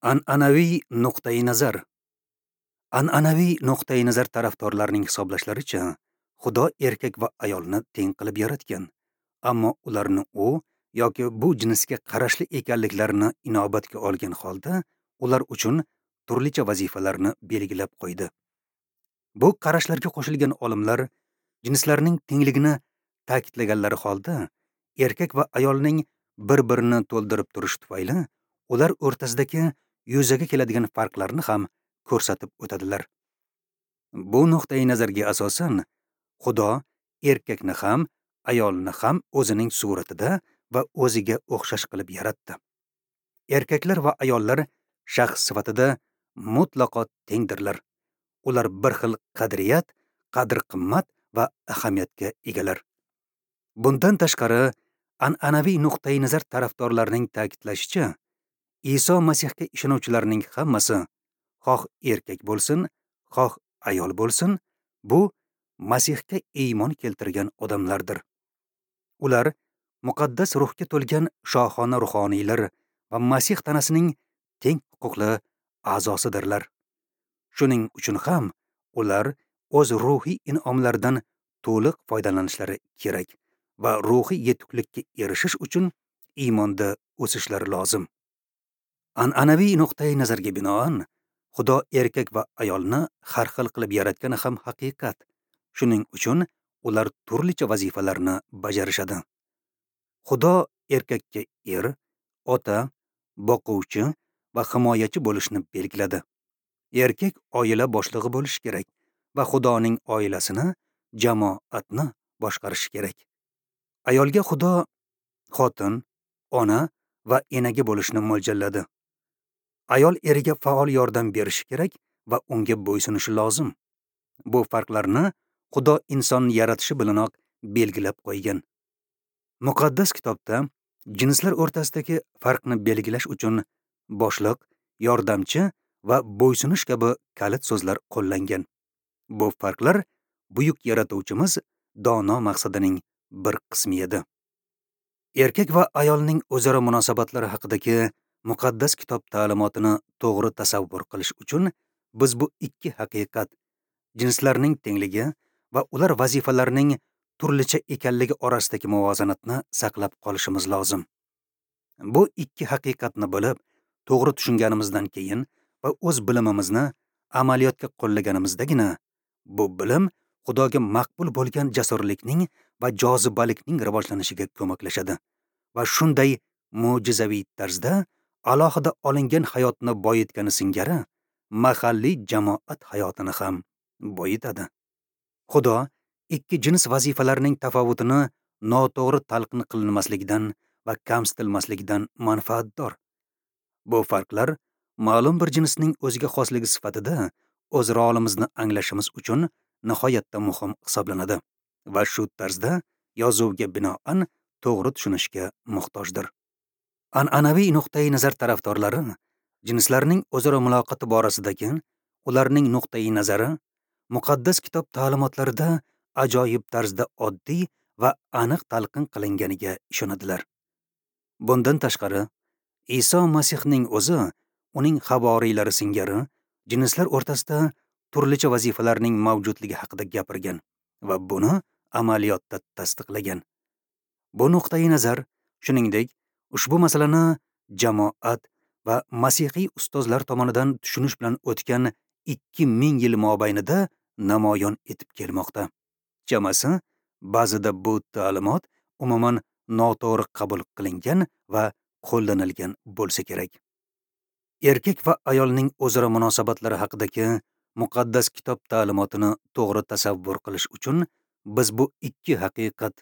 An'anaviy nuqtai nazar. An'anaviy nuqtai nazar tarafdorlarining hisoblashlaricha, Xudo erkak va ayolni teng qilib yaratgan, ammo ularni u yoki bu jinsga qarashli ekanliklarini inobatga olgan holda ular uchun turlicha vazifalarni belgilab qo'ydi. Bu qarashlarga qo'shilgan olimlar jinslarning tengligini ta'kidlaganlari holda erkak va ayolning bir-birini to'ldirib turishi tufayli ular o'rtasidagi yuzaga keladigan farqlarni ham ko'rsatib o'tadilar. Bu nuqtai nazarga asosan Xudo erkakni ham, ayolni ham o'zining suratida va o'ziga o'xshash qilib yaratdi. Erkaklar va ayollar shaxs sifatida mutlaqo tengdirlar. Ular bir xil qadriyat, qadr-qimmat va ahamiyatga egalar. Bundan tashqari, an'anaviy nuqtai nazar tarafdorlarining ta'kidlashicha, Iso Masihga ishonuvchilarning hammasi, xoh erkak bo'lsin, xoh ayol bo'lsin, bu Masihga iymon keltirgan odamlardir. Ular muqaddas ruhga to'lgan shohona ruhoniylar va Masih tanasining teng huquqli a'zosidirlar. Shuning uchun ham ular o'z ruhiy in'omlaridan to'liq foydalanishlari kerak va ruhiy yetuklikka erishish uchun iymonda o'sishlari lozim. An'anaviy nuqtai nazarga binoan, Xudo erkak va ayolni har xil qilib yaratgani ham haqiqat. Shuning uchun ular turlicha vazifalarni bajarishadi. Xudo erkakka er, ota, boquvchi va himoyachi bo'lishni belgiladi. Erkak oila boshlig'i bo'lishi kerak va Xudoning oilasini, jamoatni boshqarishi kerak. Ayolga Xudo xotin, ona va enaga bo'lishni mo'ljalladi. Ayol eriga faol yordam berishi kerak va unga bo'ysunishi lozim. Bu farqlarni Xudo insonni yaratishi bilanoq belgilab qo'ygan. Muqaddas kitobda jinslar o'rtasidagi farqni belgilash uchun boshliq, yordamchi va bo'ysunish kabi kalit so'zlar qo'llangan. Bu farqlar buyuk yaratuvchimiz dono maqsadining bir qismi edi. Erkak va ayolning o'zaro munosabatlari haqidagi muqaddas kitob ta'limotini to'g'ri tasavvur qilish uchun biz bu ikki haqiqat, jinslarning tengligi va ular vazifalarining turlicha ekanligi orasidagi muvozanatni saqlab qolishimiz lozim. Bu ikki haqiqatni bilib, to'g'ri tushunganimizdan keyin va o'z bilimimizni amaliyotga qo'llaganimizdagina bu bilim Xudoga maqbul bo'lgan jasurlikning va jozibalikning rivojlanishiga ko'maklashadi va shunday mo'jizaviy tarzda alohida olingan hayotni boyitgani singari mahalliy jamoat hayotini ham boyitadi. Xudo ikki jins vazifalarining tafovutini noto'g'ri talqin qilinmasligidan va kamsitilmasligidan manfaatdor. Bu farqlar ma'lum bir jinsning o'ziga xosligi sifatida o'z rolimizni anglashimiz uchun nihoyatda muhim hisoblanadi va shu tarzda yozuvga binoan to'g'ri tushunishga muhtojdir. An'anaviy nuqtai nazar tarafdorlari jinslarning o'zaro muloqoti borasidagi ularning nuqtai nazari muqaddas kitob ta'limotlarida ajoyib tarzda oddiy va aniq talqin qilinganiga ishonadilar. Bundan tashqari, Iso Masihning o'zi uning havoriylari singari jinslar o'rtasida turlicha vazifalarning mavjudligi haqida gapirgan va buni amaliyotda tasdiqlagan. Bu nuqtai nazar, shuningdek, ushbu masalani jamoat va masihiy ustozlar tomonidan tushunish bilan o'tgan 2000 yil mobaynida namoyon etib kelmoqda. Chamasi, ba'zida bu ta'limot umuman noto'g'ri qabul qilingan va qo'llanilgan bo'lsa kerak. Erkak va ayolning o'zaro munosabatlari haqidagi muqaddas kitob ta'limotini to'g'ri tasavvur qilish uchun biz bu ikki haqiqat,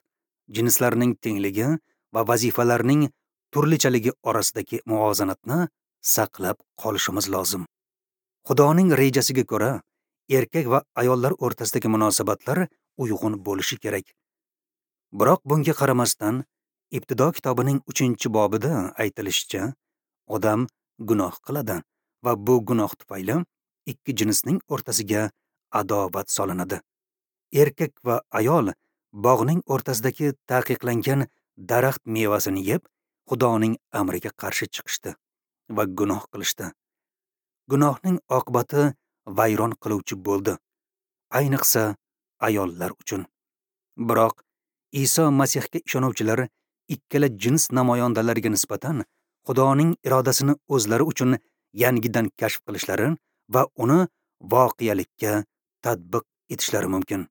jinslarning tengligi va vazifalarning turlichaligi orasidagi muvozanatni saqlab qolishimiz lozim. Xudoning rejasiga ko'ra, erkak va ayollar o'rtasidagi munosabatlar uyg'un bo'lishi kerak. Biroq bunga qaramasdan, Ibtido kitobining 3-bobida aytilishicha, odam gunoh qiladi va bu gunoh tufayli ikki jinsning o'rtasiga adovat solinadi. Erkak va ayol bog'ning o'rtasidagi taqiqlangan daraxt mevasini yeb, Xudoning amriga qarshi chiqishdi va gunoh qilishdi. Gunohning oqibati vayron qiluvchi bo'ldi, ayniqsa ayollar uchun. Biroq Iso Masihga ishonuvchilar ikkala jins namoyandalariga nisbatan Xudoning irodasini o'zlari uchun yangidan kashf qilishlari va uni voqelikka tatbiq etishlari mumkin.